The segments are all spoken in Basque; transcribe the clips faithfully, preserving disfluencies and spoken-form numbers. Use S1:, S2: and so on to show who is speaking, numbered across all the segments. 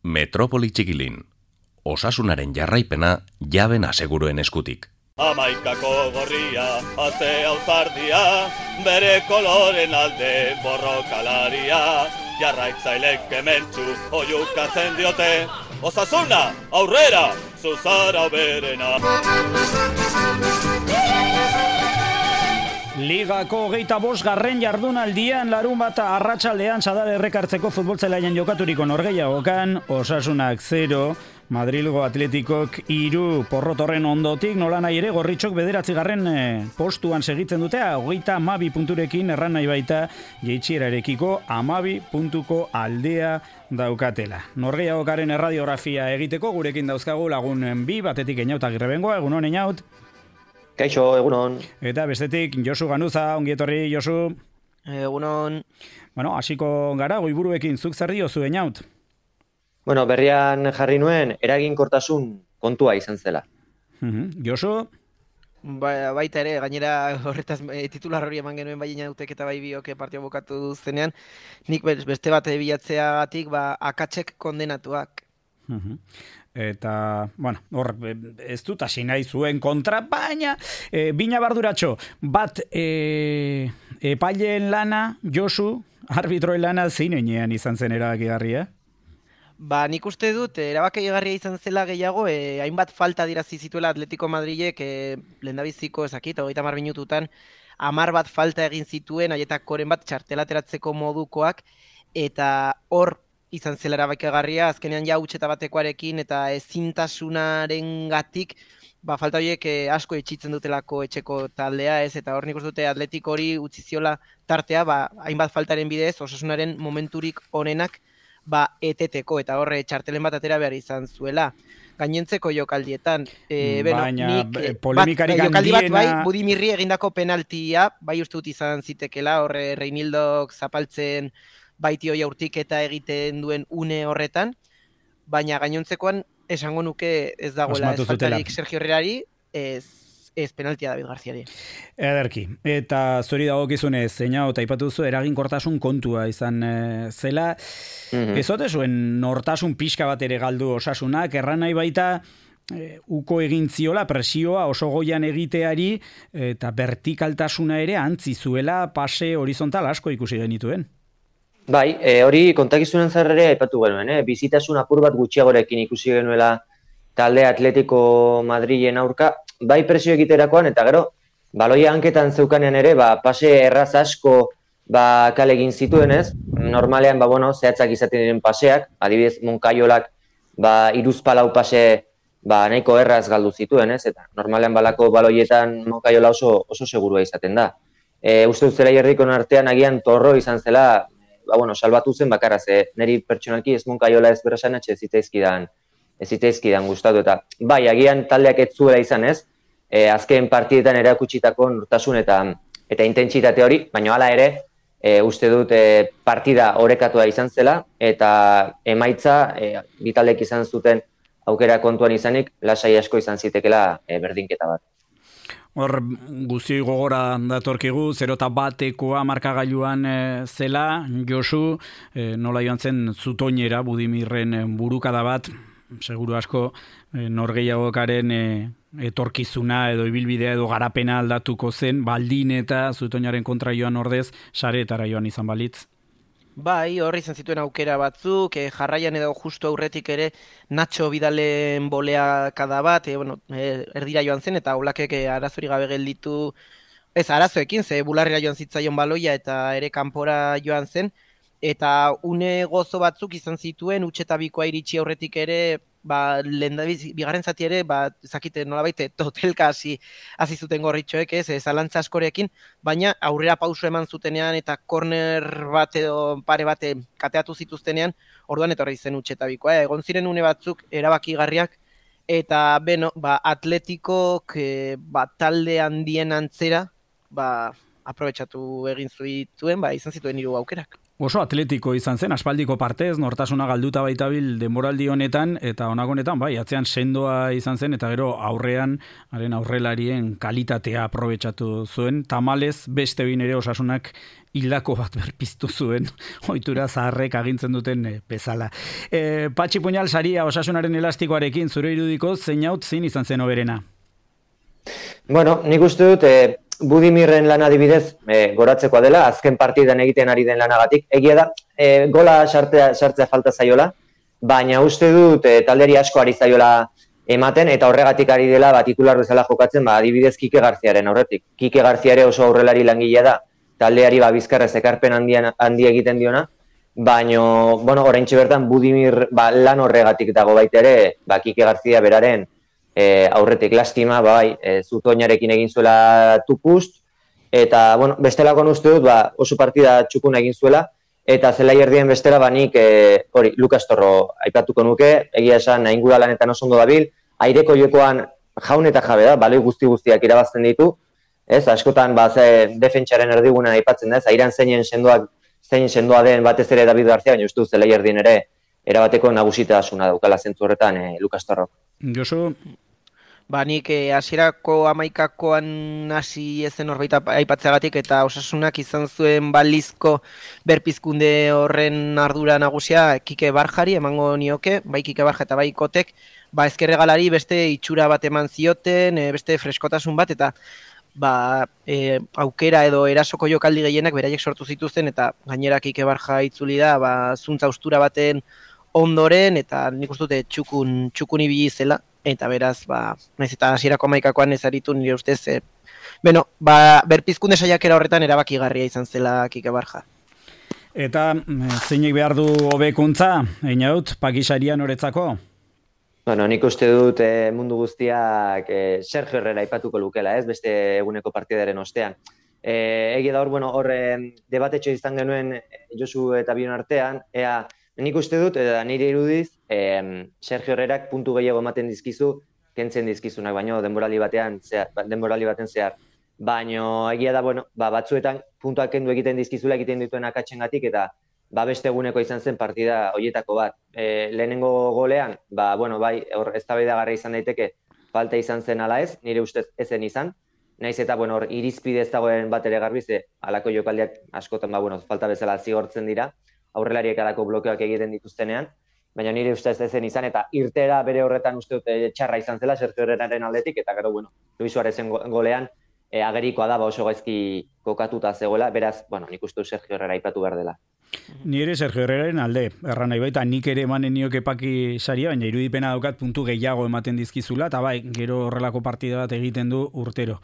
S1: Metropoli Txikilin. Osasunaren jarraipena jaben aseguruen eskutik.
S2: Amaikako gorria, azea uzardia, bere koloren alde borrokalaria, jarraitzailek kementsu oiukatzen diote, osasuna, aurrera, zuzara berena.
S3: Ligako hogeita bost garren jardunaldian larun bat arratsaldean Sadar errekartzeko futbolzelaien jokaturiko norgehiagokan, Osasunak zero, Madrilgo Atletikok hiru, porrotorren ondotik nola nahi ere gorritxok bederatzi garren postuan segitzen dute, hogeita hamabi punturekin erran nahi baita jeitsierarekiko hamabi puntuko aldea daukatela. Norgehiagokaren erradiografia egiteko gurekin dauzkagu lagun bi, batetik Einaut Agirrebengoa, egun hon Einaut.
S4: Kaixo, egunon.
S3: Eta bestetik, Josu Ganuza, ongietorri, Josu.
S5: Egunon.
S3: Bueno, hasiko gara, goiburuekin zuk zer diozu, Einaut?
S4: Bueno, berrian jarri nuen, eraginkortasun kontua izan zela.
S3: Uh-huh. Josu?
S5: Ba, baita ere, gainera horretaz e, titular hori eman genuen bai Inautek eta bai biok partio bukatu zenean, nik beste bat bilatzeagatik, ba, akatsek kondenatuak.
S3: Uh-huh. Eta, bueno, hor, ez dut hasi nahi zuen kontra, baina e, bina barduratxo, bat e, epaileen lana, Josu, arbitroen lana zeinean izan zen erabakigarria?
S5: Ba, nik uste dut, erabakigarria izan zela gehiago, e, hainbat falta dirazi zituela Atletico Madrilek, e, lehendabiziko ezakit, hogeita hamar minututan, hamar bat falta egin zituen, haietakoren bat txartelateratzeko modukoak, eta hor, izan zela erabakigarria, azkenean ja utxeta batekoarekin eta ezintasunaren gatik, ba, falta horiek asko etxitzen dutelako etxeko taldea, ez, eta hor nik uste dute Atletik hori utzi ziola tartea, ba, hainbat faltaren bidez, Osasunaren momenturik onenak, ba, eteteko, eta horre txartelen bat atera behar izan zuela. Gainentzeko jokaldietan, e, beno,
S3: baina
S5: nik,
S3: polemikarik
S5: bat, jokaldi bat bai,
S3: handiena...
S5: Budimirri egindako penaltia, bai uste dut izan zitekela, horre Reinildok zapaltzen baitio jaurtik eta egiten duen une horretan, baina gainontzekoan esango nuke ez dagoela ez faltarik Sergio Herrerari, ez, ez penaltia David Garziari.
S3: Ederki, eta zori dagokizunez, Einaut aipatu duzu eraginkortasun kontua izan e, zela, mm-hmm. ez ote zuen nortasun pixka bat ere galdu Osasunak, erran nahi baita, E, uko egin ziola presioa oso goian egiteari eta vertikaltasuna ere antzi zuela pase horizontal asko ikusi genituen.
S4: Bai, e, hori kontakizunen zarrere aipatu genuen, eh? Bizitasun apur bat gutxiagorekin ikusi genuela talde Atletico Madrilen aurka, bai presio egiterakoan, eta gero, baloia hanketan zeukanean ere, ba, pase erraz asko ba, kale egin zituen ez, normalean, ba, bueno, zehatzak izaten diren paseak, adibidez, Moncayolak, ba, iruzpalau pase ba, nahiko erraz galdu zituen, ez? Eta normalean balako baloietan Moncayola oso, oso segurua izaten da. E, uste dut zela jerrikon artean agian Torro izan zela, ba, bueno, salbatu zen bakarra, ze niri pertsonalki ez Moncayola ez berasan etxe zitaizkidan, ez zitaizkidan gustatu, eta bai, agian taldeak ez zuela izan ez, e, azken partietan erakutsitako nortasun eta, eta intentsitate hori, baina hala ere, e, uste dut e, partida orekatua izan zela, eta emaitza e, bitaldek izan zuten aukera kontuan izanik, lasai asko izan zitekela e, berdinketa bat.
S3: Hor guzti gogora datorkigu, zero eta batekoa markagailuan e, zela, Josu, e, nola joan zen Zutoinera, Budimirren burukada bat, seguru asko e, norgehiagokaren e, etorkizuna edo ibilbidea edo garapena aldatuko zen, baldin eta Zutoinaren kontra joan ordez, sareetara joan izan balitz.
S5: Bai, horri izan zituen aukera batzuk, eh, jarraian edo justu aurretik ere Nacho Vidalen boleakada bat, eh, bueno, eh, erdira joan zen, eta Oblakek eh, arazori gabe gelditu, ez arazoekin, ze bularrera joan zitzaion baloia eta ere kanpora joan zen, eta une gozo batzuk izan zituen, utxeta bikoa iritsi aurretik ere, ba, lehendabiz, bigarren zati ere, ba, zakite nolabait, totelka hasi hasi zuten gorritxoek, ez, zalantza askorekin, baina aurrera pauso eman zutenean eta korner bat edo pare bate kateatu zituztenean, orduan etorri zen utxeta bikoa. Eh? Egon ziren une batzuk erabakigarriak, eta beno, ba, Atletikok e, ba, talde handien antzera, ba, aprobetxatu egin zituen, ba, izan zituen hiru aukerak.
S3: oso atletiko izan zen, aspaldiko partez, nortasuna galduta baitabil denboraldi honetan, eta honako honetan, bai, atzean sendoa izan zen, eta gero aurrean, haren aurrelarien kalitatea aprobetxatu zuen, tamalez beste bin ere Osasunak hildako bat berpiztu zuen, ohitura zaharrek agintzen duten e, bezala. E, Patxi Puñal saria Osasunaren elastikoarekin, zure irudiko, zein haut zein izan zen oberena?
S4: Bueno, nik uste dut, e, Budimirren lan adibidez e, goratzekoa dela, azken partidan egiten ari den lanagatik. Egia da, e, gola sartzea, sartzea falta zaiola, baina uste dut e, taldeari asko ari zaiola ematen, eta horregatik ari dela ba, titular bezala jokatzen, ba, adibidez Kike Garziaren aurretik. Kike Garzia ere oso aurrelari langilea da, taldeari ba, bizkarrez ekarpen handian, handi egiten diona, baina, bueno, oraintxe bertan Budimir ba, lan horregatik dago baita ere, ba, Kike Garzia beraren E, aurretik lastima, bai, e, Zutoinarekin egin zuela tupust, eta, bueno, bestelako uste dut, ba, oso partida txukun egin zuela, eta zelai erdien bestela, ba, nik, e, hori, Lukas Torro aipatuko nuke, egia esan, ingura lanetan oso ondo dabil, aireko jokoan jaun eta jabe da, baloi guzti guztiak irabazten ditu, ez, askotan, ba, ze, defentsaren erdigunen aipatzen da, ez, airan zeinen sendoak, zein sendoa den batez ere David Garcia, baina uste dut zelai erdien ere, erabateko nagusitasuna daukala zentzu horretan e, Lukas Torro.
S3: Josu?
S5: Ba, nik hasierako hamaikakoan hasi ezen horbait aipatzeagatik eta Osasunak izan zuen balizko berpizkunde horren ardura nagusia Kike Barjari emango nioke, bai Kike Barja eta bai Kotek, ba ezkerregalari beste itxura bat eman zioten, beste freskotasun bat, eta ba, e, aukera edo erasoko jokaldi gehienak beraiek sortu zituzten, eta gainera Kike Barja itzuli da, ba, zuntza ustura baten ondoren, eta nik uste dute txukun, txukun ibili zela. Eta beraz, ba, naiz eta hasierako hamaikakoan ez aritu nire ustez, e, beno, ba, berpizkunde saiakera horretan erabakigarria izan zela Kike Barja.
S3: Eta zeinek behar du hobekuntza, Einaut, Pakisarian noretzako?
S4: Bueno, nik uste dut e, mundu guztiak e, Sergio Herrera aipatuko lukela, ez, beste eguneko partidaren ostean. E, Egia da hor, bueno, hor debatetxo izan genuen Josu eta Bion artean, ea, nik uste dut, eta nire irudiz, eh, Sergio Herrerak puntu gehiago ematen dizkizu, kentzen dizkizunak, baino denboraldi batean zehar, denboraldi baten zehar. Baino egia da, bueno, ba, batzuetan puntuak kendu egiten dizkizula egiten dituen akatsengatik, eta ba, beste eguneko izan zen partida hoietako bat. E, lehenengo golean, ba, bueno, bai, hor eztabaidagarria izan daiteke, falta izan zen ala ez, nire ustez ezen izan. Naiz eta, bueno, hor irizpide ez dagoen bat ere garbi, ze halako jokaldiak askotan, ba, bueno, falta bezala zigortzen dira, aurrelariek alako blokeoak egiten dituztenean, baina nire ustez ezen izan, eta irtera bere horretan uste dute txarra izan zela, Sergio Herreraren aldetik, eta gero, bueno, Luis Suarezen golean, e, agerikoa da, ba oso gaizki kokatuta zegoela, beraz, bueno, nik uste Sergio Herrera aipatu behar dela.
S3: Nire Sergio Herreraren alde, erran nahi baita, nik ere emanen nioke Paki saria, baina irudipena daukat puntu gehiago ematen dizkizula, eta bai, gero horrelako partida bat egiten du urtero.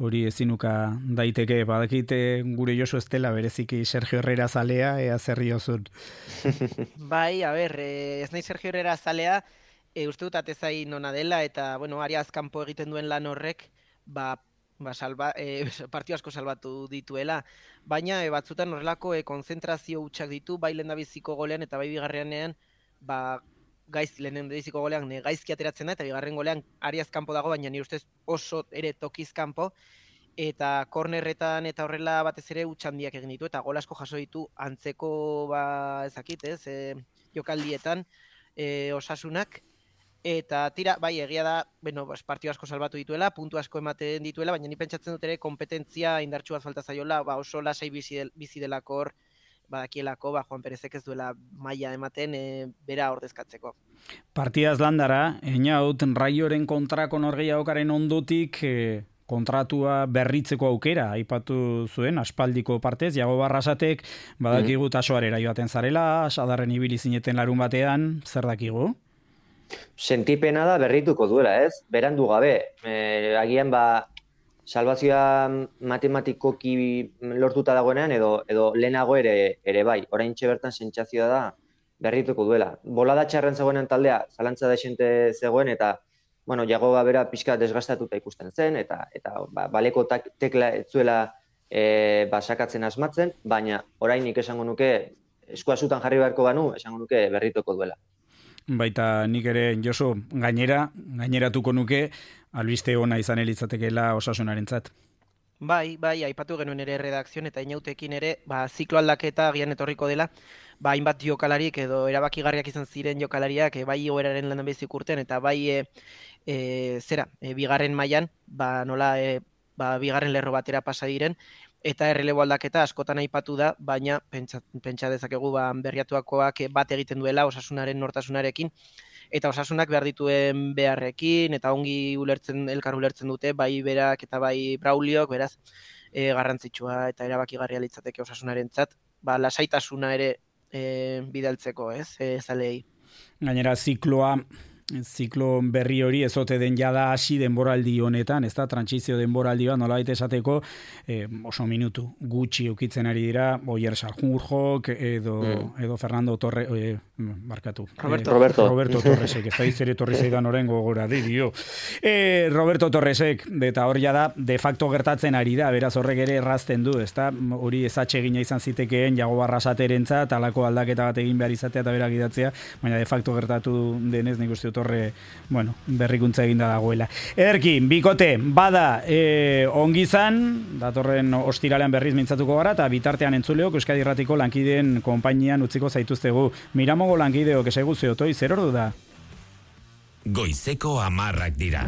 S3: Hori ezinuka daiteke, badakite gure Josu ez dela bereziki Sergio Herrera zalea, ea zerri ozun.
S5: Bai, a ber, ez nahi Sergio Herrera zalea, e, uste dut atezain ona dela, eta, bueno, ari azkanpo egiten duen lan horrek, ba, ba, salba, e, partio asko salbatu dituela, baina e, batzutan horrelako e, konzentrazio hutsak ditu, bai lehendabiziko golean eta bai bigarrenean, ba, gaiz, lehendabiziko golean ne, gaizki ateratzen da, eta bigarren golean ariaz kanpo dago, baina nire ustez oso ere tokiz kanpo, eta kornerretan eta horrela batez ere hutsandiak egin ditu, eta gol asko jaso ditu antzeko, ba, ezakit, ez, e, jokaldietan e, Osasunak. Eta tira, bai, egia da, bueno, partio asko salbatu dituela, puntu asko ematen dituela, baina ni pentsatzen dut ere kompetentzia indartsu bat falta zaiola, ba oso lasai bizi, del, bizi delako hor, badakielako, ba Juan Perezek ez duela maila ematen e, bera ordezkatzeko.
S3: Partidaz landara, Einaut, Raioren kontrako norgehiagokaren ondotik e, kontratua berritzeko aukera aipatu zuen, aspaldiko partez, Jago Barrasatek, badakigu tasoarera joaten zarela, sadarren ibili zineten larun batean, zer dakigu?
S4: Sentipena da berrituko duela, ez? Berandu gabe. E, agian ba salvazioa matematikoki lortuta dagoenean edo edo lehenago ere ere bai. Oraintxe bertan sentsazioa da berrituko duela. Bolada txarren zegoenen taldea zalantza desente zegoen eta bueno, Jagoba bera pixka desgastatuta ikusten zen eta eta ba, baleko tekla ez zuela e, ba, sakatzen asmatzen, baina orainik esango nuke eskua zutan jarri beharko banu, esango nuke berrituko duela.
S3: Baita nik ere, Josu, gainera, gaineratuko nuke, albiste ona izan elitzatekeela Osasunarentzat.
S5: Bai, bai, aipatu genuen ere redakzioan eta inautekin ere, ba, ziklo aldaketa agian etorriko dela, ba, hainbat jokalarik edo erabakigarriak izan ziren jokalariak, e, bai igoeraren lan bezik urten, eta bai, e, e, zera, e, bigarren mailan, ba, nola, e, ba, bigarren lerro batera pasa diren, eta errelebo aldaketa askotan aipatu da, baina pentsa, pentsa dezakegu ba, berriatuakoak bat egiten duela Osasunaren nortasunarekin, eta Osasunak behar dituen beharrekin, eta ongi ulertzen, elkar ulertzen dute, bai berak eta bai Brauliok, beraz, e, garrantzitsua eta erabakigarria litzateke Osasunarentzat, ba, lasaitasuna ere e, bidaltzeko, ez, e, zalei.
S3: Gainera, zikloa, ziklo berri hori ezote den jada hasi denboraldi honetan, ez da, trantsizio denboraldi bat, nolabait esateko, eh, oso minutu gutxi ukitzen ari dira, Oier Sanjurjok, edo, mm. edo Fernando Torre, eh, barkatu.
S5: Roberto.
S3: Eh,
S4: Roberto.
S3: Roberto Torresek, ez da izere torri zeidan oren gogora, di, dio. Eh, Roberto Torresek, eta hor jada, de facto gertatzen ari da, beraz horrek ere errazten du, ez da, hori ezatxe egina izan zitekeen, jago barrasaterentzat, talako aldaketa bat egin behar izatea eta berak idatzea, baina de facto gertatu denez, nik uste torre, bueno, berrikuntza eginda dagoela. Ederki, bikote, bada e, ongizan, datorren ostiralean berriz mintzatuko gara, eta bitartean entzuleok Euskadi Irratiko lankideen konpainian utziko zaituztegu. Miramongo lankideok esaigu zeotoi, zer ordu da?
S6: Goizeko hamarrak dira.